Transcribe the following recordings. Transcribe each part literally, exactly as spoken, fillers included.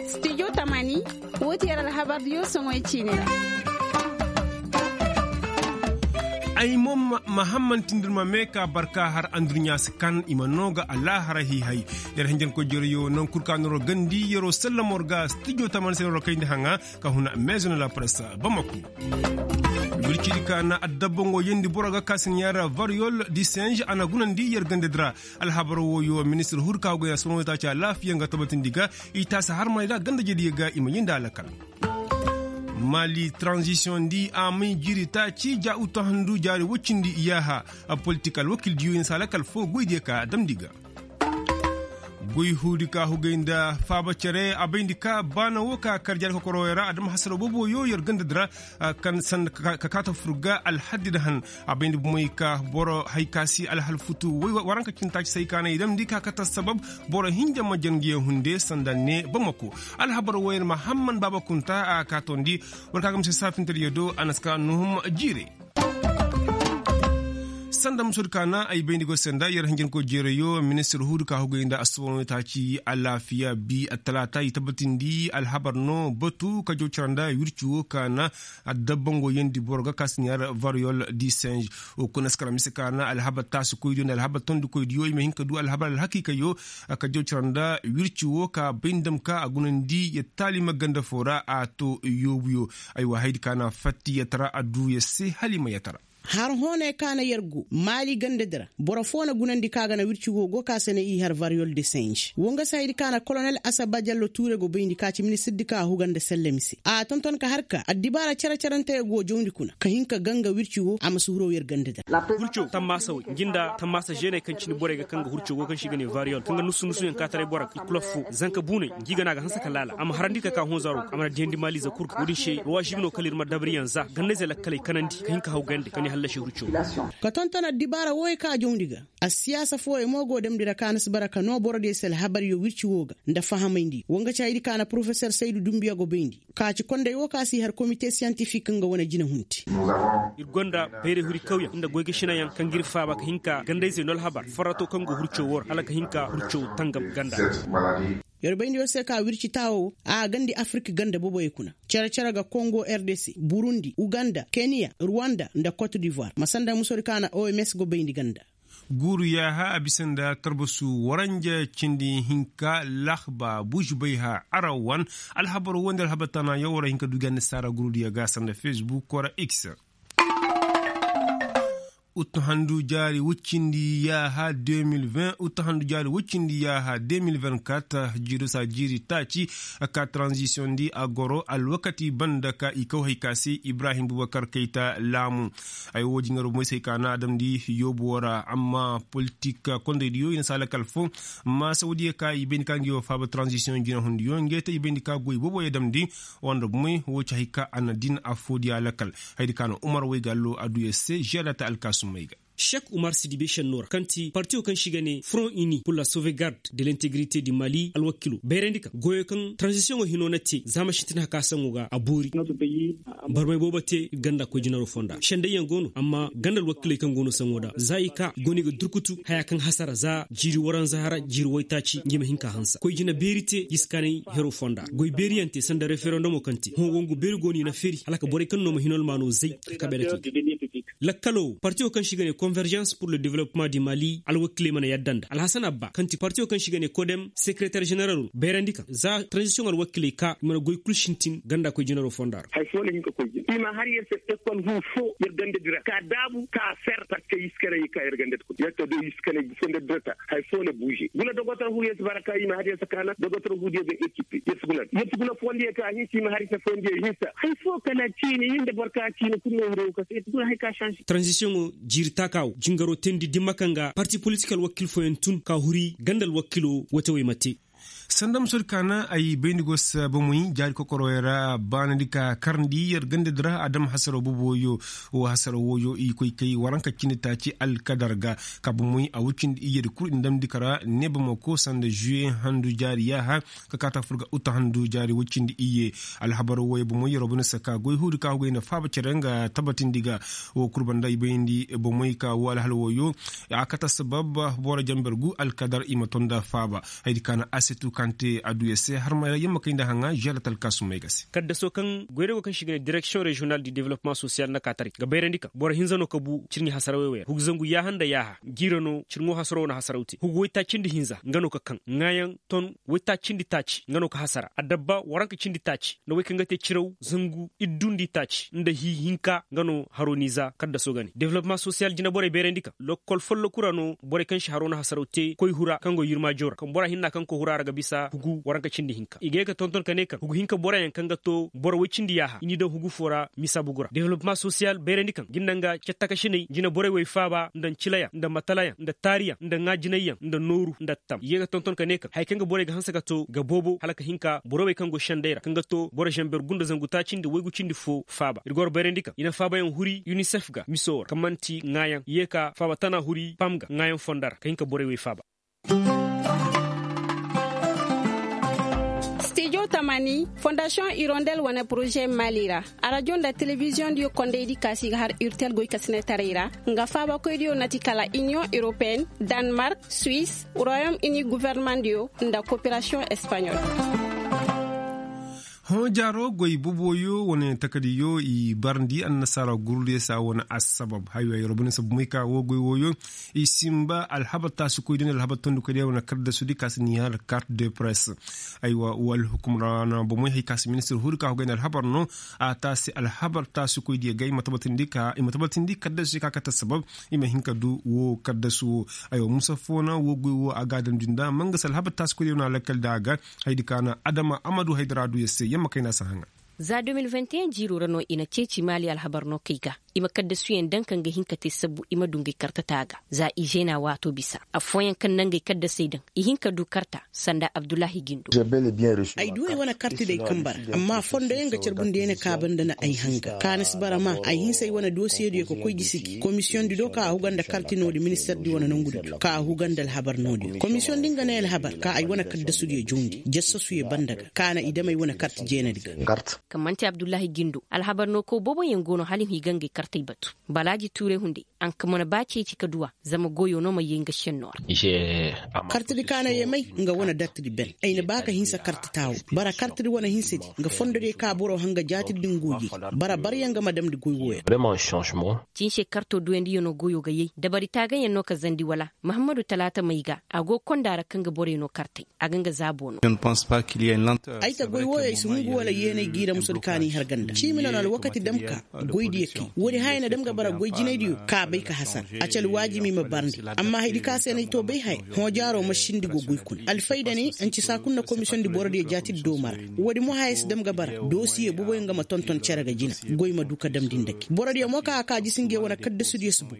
Studio tamani. Wo ti yer alhabardiyo soŋoy ciine ra. Ay mo ma hammantindir ma mee ka barka har andurɲa si kan i ma noo ga alaaharay hiihay. Yer hinjankoy jereyo naŋ kul ka noro gandi yeroo sallamor ga studio tamani se noro kayndi haŋa ka huna maison la presse bamako. Wircidi ka na adabbango yendi boro ga ka si ɲaara variyol di singe a na gunandi yer gandadi ra. Alhabar wooyo ministir hur ka go ya sono ta ci alaafiya nga tabatindi ga i taasi harmay ra gandajediyo ga i ma yindi alakal. Mali tranzisiyoŋ di a may jiiri taaci ja uttahandu jaari woy cindi yaaha. Politik alwakildiyo i na si alakal foo goydiyo ka damndi ga. Goy huudi ka hugay nda faaba cere a bayndi ka baana woo ka kar jaari kokorowey ra a dam hasaroo booboo yoo yer gandadi ra. Kaŋ sanda ka kaata fur ga alhaddi nda han a bayndi bomey ka boro hay ka si alhal futu waranka cindi taaci se hay ka na i damndi ka kate assabab boro hinja ma jangiyaŋ hunde sanda ne bamako. Alhabar wooyaŋ ma hamman baaba kunta a kaatondi war ka ga mise saafintediyo do a na si ka nuhum jiire. Sanda musodi ka na ay bayndi go se nda yer hinjankoy jeerayo ministir huudi ka hugay nda assubanoo taaci alaafiya bi attalaata i tabatindi alhabar no batu ka jaw cara nda wirci woo ka na adabbango yeendi boro ga ka si ɲaar variyol di singe. Wo kuna si kara mise ka na alhabar taasikoydiyo nda alhabar tondikoydiyo i ma hin ka du alhabar alhakiikayo. Ka jaw cara nda wirci woo ka bay nda ma ka a gunandi yer taalima ganda foo ra a to yoobuyo. Aywa haydi ka na fatti yer tara a duu yer se hala i ma yer tara. Har hoonay ka na yer go maali gandadi ra boro foo na gunandi ka ga na wirci woo go ka se na i har variyol de singe wo nga se haydi ka na kolonel asaba jallo tuure go bayndi ka ci ministirdi ka a huga nda sellemi se a tonton ka har ka addibaara cere-cerante go jawndi kuna ka hin ka ganga wirci woo a ma si huroo yer gandadi ra. Wirco tammaasa wey ngi nda tammaasa žeeney kaŋ cindi borey ga kaŋ ga hurco go kaŋ se i ga ne variyol kaŋ ga nusu-nusuyaŋ kaataray boro ga i kula foo zanka buuney ngi ga na a ga hanse ka laala a ma harandi ka ka honzaro a mana diyandi maaliize kul ga wo-din se ruwa žibinoo kala ir ma dabariyaŋ za ganda-izey lakkaley kanandi ka hin ka haw gande ka ne hallasi hurco. Ka tonton addibaara wooyey ka jawndi ga. Assiyaasa fooyey mo go damndi ra ka na si bara ka noo borodiyo se alhabaryo wirci woo ga nda fahamayndi wo nga ci haydi ka na porofesor saydu dumbiya go bayndi ka ci konday woo ka si har komite siyantifik nga wane jinehunti. Ir gonda bayray huri kawyaŋ nda goy ga šinayaŋ kaŋ ga ir faaba ka hin ka ganda-izey no alhabar farrato kaŋ go hurco woo ra hala ka hin ka hurco tangam ganda. Yer bayndi yer se ka wirci taawo a gandi afirik ganda boboyey kuna cere-cere ga kongo r d c burundi uganda keniya ruwanda nda kot divoir ma sanda musodi ka na oms go bayndi ganda. Guuru yaaha a bisa nda tarbasu waranja cindi hinka lahba bužbayha arawan alhabar woo nda alhabar tana yaŋ war a hin ka du ga annasaara gurudiyo ga sanda facebook wara x. Uttahandu jaari wuccindi yaaha deux mille vingt uttahandu jaari wuccindi yaaha deux mille vingt-quatre jiiru saa jiiri taaci. Ka tranzisiyoŋ di a goro alwakati banda ka i kaw hay ka se ibrahim bubakar kayta laamu. Ay woo jingaroo moysey ka na a damndi yoobu woo ra amma politik kondaydiyo i na si a lakal foo. Maasawdiyo ka i bayndi ka ngi woo faaba tranzisiyoŋ jinahundiyo ngey te i bayndi ka goy booboyo damndi. Woo nda bumey woo ci hay ka a na din affoodiyo a lakal. Hayadi ka na umar waygallo a du yer se žeeda ta alkaasumey ga. Šek umar sidibe šennoo ra kaŋ ti partiyo kaŋ se i ga ne front uni pour la sauvegarde de l'integrité du mali alwakilo bayrandi ka goyoo kaŋ taranzisiyoŋo hinoo na te za mašintin hakaasaŋo ga a boori. Barmay boobo te ir ganda koy jinaroo fonda sendayyaŋ go no amma ganda alwakiley kaŋ go no saŋo nda za i ka i go no i ga durkutu hayaa kaŋ hasara za jiiri waranza hara jiiri waytaaci ngi ma hin ka hansa koy jina beeri te i si kanay heroo fonda goy beeriyaŋ te sanda referendomo kaŋ te hõ wangu beeri go no i na feri hala ka borey kaŋ no ma hin almaanoo zay ka kabe nda te. Lakkaloo partiyo kaŋ se i ga ne konverjans pur le developpement di mali alwakiley mana yadda nda alhasan abba kaŋ ti partiyo kaŋ se i ga ne kodem sekereter ženeraloo bayrandi ka za taranzisiyoŋ alwakiley ka i mana goy kul sintin ganda koy jinaroo fonda ra. Hay foo na hin ka koy jina i ma har yer se ekol huu foo yer gandadi ra ka daabu ka a fer parceque yer si kanay ka yer gandadi kuna yer to do yer si kanay fondadi ra ta. Hay foo na buuze guna dogotor huu yer si bara ka i ma har yer se kaana dogotor huudiyo ga ekipe yer si guna yer si guna fondiyo ka a hinsa i ma har yer se fondiyo hinsa hay foo kala ciini yer nda boro ka ciini kul no hiro ka se yer si guna hay ka sanse. Taranzisiyoŋo jiiri taakaa woo jingaroo teendi dimma kaŋ ga parti politik alwakil fooyaŋ tun ka huri ganda alwakiloo wote wey ma te. Sanda musodi kaana ay bayndi go se bomey jaari kokorowey ra baanandi ka karndi yer gandadi ra adama hasaroo boboyo. Wo hasaroo wooyo i koy kay waranka cindi taaci alkadar ga ka bomey a woy cindi iyye di kul i na damndi kara neebamako sanda juwe handu jaari yaaha ka kaata fur ga uta handu jaari woy cindi iyye. Alhabar wooyo bomey yeroo bane se ka goy huudi ka hugay nda faaba cere nga tabatindi ga. Woo kul banda i bayndi bomey ka woo alhal wooyo a kate sabab boro jamber gu alkadar i ma ton nda faaba. Haydi kaana asetu kaŋ te adduya se harmay ra yamma kay nda haŋa želatal kaasumey ga se. Kaddaso kaŋ goyray go kaŋ se i ga ne direksiyoŋ reziyonal du development sosiyal na kaataray ga bayrandi kaŋ boro hinza no ka bu cirɲi hasarawey wey ra hugu zangu yaaha nda yaaha jiira no cirŋo hasaraw na hasaraw te hugu waytaaci nda hinza nga no ka kaŋ ŋaayaŋ ton waytaaci nda taaci nga no ka hasara adabba waranka cindi taaci nda wey kaŋ ga te ciraw zangu iddu nda itaaci nda hii hinka nga no haro niiza kaddaso ga ne development sosiyal jinaborey bayrandi kaŋ lokol folloku ra no borey kaŋ si haro na hasaraw te koy hura kaŋ go yirmaajo ra kaŋ bora hinna kaŋ koy hura ra ga bisa hugu waranka cindi hinka i ga ye ga tonton ka ne kaŋ hugu hinka boroyaŋ kaŋ ga to boro woy cindi yaaha i n'i daŋ hugu foo ra misa bugu ra development sosiyal bayrandi kaŋ ga ni naŋ ga cattakasiney jinaborey wey faaba nda ncilayaŋ nda matalayaŋ nda taariyaŋ nda ŋaajinayyaŋ nda nooru nda tam i ye ga tonton ka ne kaŋ haya kaŋ ga borey ga hanse ka to ga boobo hala ka hin ka borey wey kaŋ go sendey ra kaŋ ga to boro zamber gunda zangu taaci nda waygu cindi fo faaba ir ga war bayrandi kaŋ i na faabayaŋ huri unicef ga miso ra kaŋ man'ti ŋaayaŋ i ye ka faaba tana huri pam ga ŋaayaŋ fonda ra ka hin ka borey wey faaba. Stijo tamani fondasiyoŋ irondel wane poroze mali ra arajo nda telebiziyoŋ diyo kondaydi kaasi ga har urtel goy kasinetaray ra nga faabakoydiyo nati kala iniyoŋ europeen, danmark, suwis, royom ini guvernemandiyo nda koperasiyoŋ espaɲol. Hõ jaaro goy boboyo wane takadiyo i barndi annasaara gurdiyo se a wane assabab haywa yeroo bane sabu may ka woo goy wooyo i sinba alhabar taasikoydiyo nda alhabar tondikoydiyo wane kaddasudi ka si ni har kart de press. Aywa woo alhukum ra na bomey hay ka si ministir huudi ka hogay nda alhabar no a taasi alhabar taasikoydiyo ga i ma tabatindi kaddasudi ka kate sabab i ma hin ka du woo kaddasu woo. Aywa musa foo na woo goy woo a ga a damndi nda mangasa alhabar taasikoydiyo na lakkal nda a ga. Haydi ka na adama amadu haydara du yer se yamma kayna si haŋa. Za deux mille vingt et un jiiroo ra no i na ceeci maali alhabar no kay ga i ma kaddasuyaŋ daŋ kaŋ ga hin ka te sabbu i ma du ngey karta taaga za i zeena waatoo bisa affooyaŋ kaŋ na ngey kaddasey daŋ i hin ka du karta sanda abdullahi gindo. Ay du ay wane karti day kamba ra amma fondoyaŋ ga carbundi ay na kaaba nda na ay hanga kaana si bara ma ay hinsa ay wane dosiyediyo ka koy gisi gi komisiyoŋ di do ka a huga nda karti no-di minister di wane nongu di do ka a huga nda alhabar no-diyo komisiyoŋ di nga ne alhabar ka ay wane kaddasudiyo jawndi jassasuyo banda ga ka na i dam ay wane karti jeenadi ga. Kaŋ man'ti abdullahi gindo alhabar no kaw booboyaŋ go no hala i ma i ga ngey kartey batu balaaji tuuray hunday a nka mana ba ceeci ka duw'a zama goyo no ma yee nga šennoo ra. Kartidi ka na yee may nga wane dartidi ben ay na ba ka hinsa karti taawo bara kartidi wane hinsadi nga fondodiyo ka boro hanga jaatidi din go yee bara baryaŋ ga ma damndi goy wooyo ra. Cinse karto duyandiyo no goyo ga yay dabari taagayaŋ no ka zandi wala mahammadu talaata may ga a go konda ra kaŋ ga borey no kartay a ga nga zaabo no. Ay ta goy wooyo ay si hungu wala yeenay giira musudi ka n'i har ganda ciimi no na alwakati dam ka goydiyo kay woodi haya na dam ga bara goy jinaydiyo ka bay ka hasara a ci alwaajimi ma barndi amma haydi ka se n'ay to bay haya hõ jaaro ma sindi go goy kuna alfayda ne ancisa kul na komisiyoŋ di borodiyo jaatidi dooma ra woodi mo haya si dam ga bara doosiye boboyaŋ ga ma tonton cere ga jina goy ma du ka damndi nda gi borodiyo mo ka a ka jisi ngey wane kaddasudiyo si boy.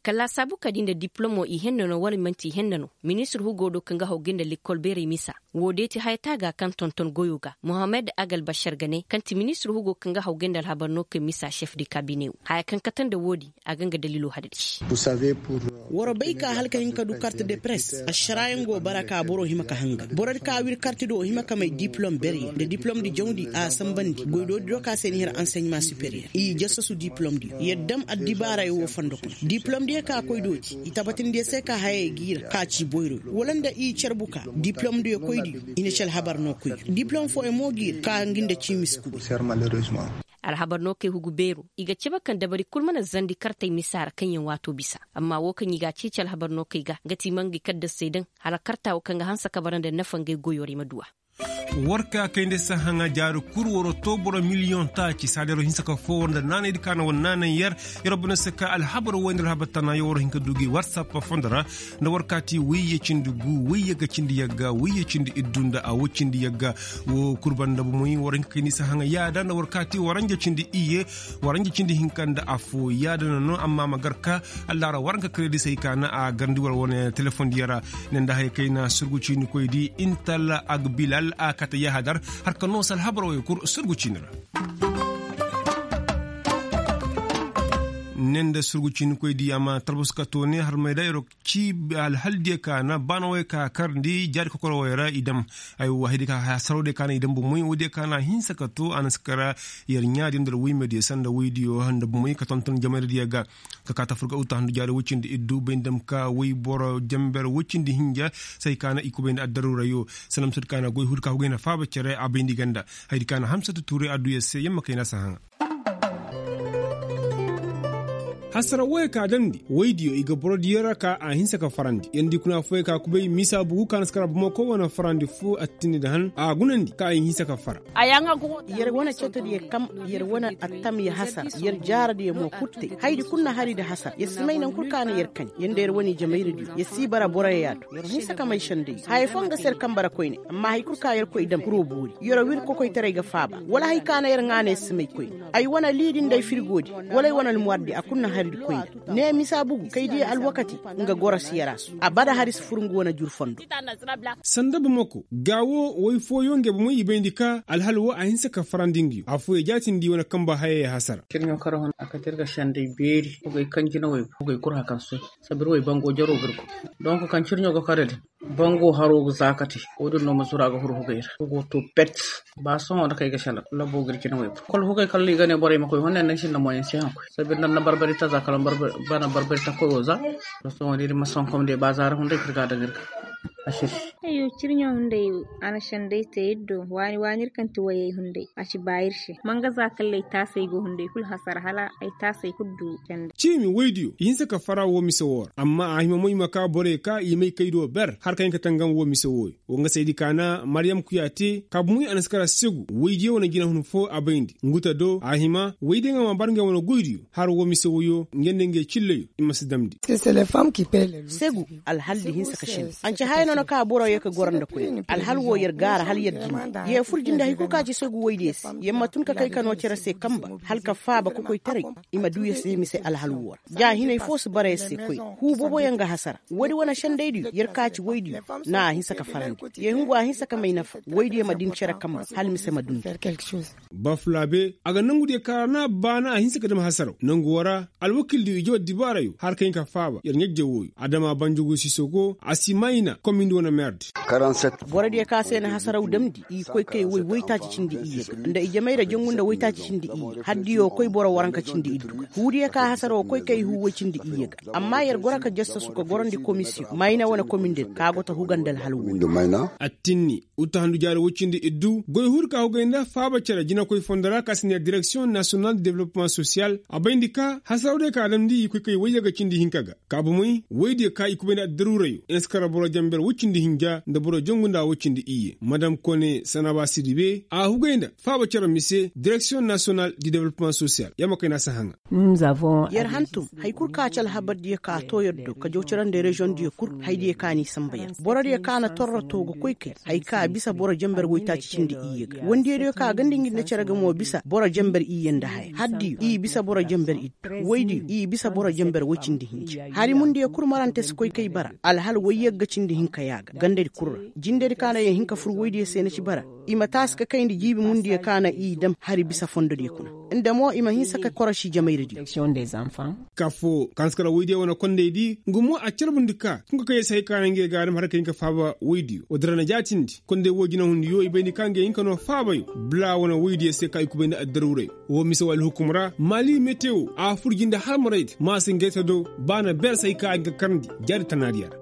Kala saabu ka di nda diplomo i henna no wala man'ti i henna no ministir hugo do kaŋ ga haw ga nda lekkol beeray misa woo deeti haya taaga kaŋ tonton goyo ga mohammed agal bashar ga ne kaŋ ti ministir hugo kaŋ ga haw ga nda alhabar no kaŋ misa chef de kabine wo haya kaŋ kate nda woodi a ga nga dalilo hadadi. War bay ka hala ka hin ka du kart de press ašaraayaŋ go bara ka boro hima ka hanga borodi ka wir karti do hima ka may diplom berye nda diplom di jawndi a sambandi goydoodi do ka se ni hir anseɲma superiyer i jassasu diplom diyo yer dam addibaarayo wo fondo kuna diplom diyo ka koy dooti i tabatindi yer se ka hayey giira ka ci boyroyo wala nda i carbu ka diplom diyo koydiyo i na ci alhabar no koy diplom fooyaŋ mo giira ka ngi nda ciimis kubi. Alhabar no kay hugu beero i ga cabe kaŋ dabari kul mana zandi kartey misa ra kaŋ yaŋ waato bisa amma wo kaŋ i ga a ceeci alhabar no kay ga nga ti i ma ngey kaddasey daŋ hala karta wo kaŋ ga hanse ka bara nda nafa ngey goyo ra i ma duw'a. War ka kayndi sahaŋa jaari kul war too boro miliyoŋ taaci saada yer hinsa ka foo war nda naanaydi ka na war naanay yer. Yer bine se ka alhabar woy nda alhabar tana yer war hin ka du gi warsap fondo ra. Nda war kaati wayye cindi gu wayye ga cindi yagga wayye cindi iddu nda a woy cindi yagga. Woo kul banda bomoy war hin ka kayndi sahaŋa yaada nda war kaati waranja cindi iyye. Waranja cindi hinka nda affoo yaada na no amma ma gar ka. Allaara war nga karedisey ka na a garndi war wane telefoŋ diyo ra. Ne nda haya kayna surgu ciinikoydi intal agbilal a kate yahadar. Har ka noo se alhabar woy kul surgu ciini ra. Ne nda surgu ciinikoydi amma talbus ka too ne har may da yer ci alhal diyo ka na baana woy ka karndi jaari kokoro woy ra i dam. Aywa haydi ka hasaroo diyo ka na i dam bomoy woy diyo ka na a hinsa ka too a na si kara. Yer ɲaa diyo nda alwayme diyo sanda woy diyo nda bomoy ka tonton jamayra diyo ga. Ka kaa tafur ga uta handu jaari woy cindi iddu bay nda ma ka woy boro jamber woy cindi hinja. Say ka na i kubay nda addaruura yo. Salam sud ka na goy hul ka hugay na faaba cere a bayndi ganda. Haydi ka na hamsatu tuuray adduya se yamma kay na si haŋa. Hasara woyey ka damndi woydiyo i ga borodiyo ra ka a hinsa ka farandi yer di kuna fooyey ka kubay misa bugu ka na si kara bamako wane farandi foo attindi nda han a gunandi ka a hinsa ka fara. Yer wane cetodiyo kam yer wane attam ya hasara yer jaaradiyo mo kul te haydi kul na hari nda hasara yer si may naŋ kul ka na yer kaŋ yer nda yer wane jamayradiyo yer si bara boroyo ya do yer ma hinsa ka may sendey haya foo nga si yer kamba ra koyne amma hay kul ka yer koy dam kuro boori yer wir kokoytaray ga faaba wala hay ka na yer ŋaana yer si may koyne. Ay wane liidi nda ay firgoodi wala ay wane almuwardi a kul na haridi koyne. Ne misa bugu kay diya alwakati nga goro si yarasu a bada hari si fur nga wane jur fondo. Sanda bamako gaa wo woy fooyoŋ nge bomoy i bayndi ka alhal wo a hinsa ka farandi nga yo affooyo jaatindi wane kamba hayey hasara. Cirɲo kar hun a kate ir ga sendey beeri hugay kaŋ jina woy hugay kul hakan soy. Sabir woy bango jaro ga ir go donk kaŋ cirɲo ga kare din. Bango haro ga zaakati wo-din no ma zuru a ga huru hugay ra hugo to pet. Ba sohõ nda kay ga senda labo ga ir jina woy kul hugay kala i ga ne borey ma koy honne nda sinda moyen si haŋ koy sabir nda na barbari ta za kala bana barbari ta koy wo za. Sohõ da ir ma sonkom de ba zaara hunday ka ir ga a daŋ ir ga. Asir. Ayyo cirɲo hunday a na sendey te ir do waani waani ir kaŋ ti wayey hunday a si ba ir se. Manga za kala ay taasey go hunday kul hasara hala ay taasey kul du sendey. Ciimi woydiyo i hinse ka fara woo mise woo ra amma a hima mo i ma ka borey ka i may kay do ber har ka hin ka tangam woo mise wooyo. Woo nga saydi ka na maryam kuya te kaabu moy a na si kara segu woydiyo wane jinahun foo a bayndi nguta do a hima woydiyo nga ma bar ngey wane goydiyo har woo mise wooyo ngey nda ngey cilleyo. I ma si damndi. Segu alhaldi hinsa ka sindi. Anca haya no na ka boro yee ka goro nda koy alhal woo yer gaara hala yer jinde. Yee fur jinde hay kul ka ci segu woydiyo se yer ma tun ka kay ka noo cere se kamba hala ka faaba kokoytaray. I ma duu yer se mise alhal woo ra ja hinay foo si bara yer se koy. Huu booboyaŋ ga hasara woodi wane sendaydiyo yer ka ci woydiyo. Na a hinsa ka farandi yee hungu a hinsa ka may nafa woydiyo ma din cere kamba hala mise ma dundi. Bafulaabe a ga nangudiyo ka ra na baana a hinsa ka dam hasaraw nangu woo ra. Alwakildiyo i jaw addibaarayo har ka hin ka faaba yer ɲajje wooyo adama banjugu sisogo a si mayna komindi wane meerdi. Borodiyo ka se na hasaraw damndi i koy kay woy woytaaci cindi iyye ga nda i jamayra jangu nda woytaaci cindi iyye haddiyo koy boro waranka cindi iddu ga huudiyo ka hasaraw koy kay huu woy cindi iyye ga. Amma yer goro ka jassasu ka gorandi komisiyoŋ mayna wane komindi ka go ta huga nda alhal wooyo. Attinni uttahandu jaari woy cindi iddu goy huudi ka hugay nda faaba cere jinakoy fondo ra ka si ne direksiyoŋ nasiyonal de development sosiyal a bayndi ka hasaraw day ka a damndi i koy kay wayye ga cindi hinka ga. Ka bomey woydiyo ka i kubay nda addaruurayo i na si kara boro jamber woy cindi hinja nda boro jangu nda woy cindi iyye madam kone sanaba sidibe a hugay nda faaba cere mise direksiyoŋ nasiyonal de development sosiyal yer ma kay na si haŋa. Yer hantum hay kul ka ci alhabardiyo ka too yer do ka jaw cere nda reziyoŋdiyo kul haydiyo ka n'i samba yer borodiyo ka na torro too ga koy kay hay ka bisa boro jamber woytaaci cindi iyye ga wandiyadiyo ka ganda ngi nda cere ga mo bisa boro jamber iyye nda haya haddiyo i bisa boro jamber iddu woydiyo i bisa boro jamber woy cindi hinja hari mundiyo kul marante si koy kay bara alhal woy yagga cindi hinka ya ga gandadi kul ra jindedi ka na yer hin ka fur woydiyo se na ci bara. I ma taasi ka kayndi jiibi mundiyo ka na i dam hari bisa fondodiyo kuna nda mo i ma hinsa ka korosi jamayradiyo. Ka foo ka na si kara woydiyo wane kondaydi nga mo a carbundi ka tun ka kay yer se hay ka na ngey ga a dam har ka hin ka faaba woydiyo woodin ra na jaatindi konday woo jinahundiyo i bayndi ka ngey hin ka noo faabayo bula wane woydiyo se ka i kubay nda addaruuray. Woo mise woo alhukum ra maali metewo a fur jinde halmaraydi maasingayta do ba na ber se hay ka a hin ka karndi jaari tanaadiyo ra.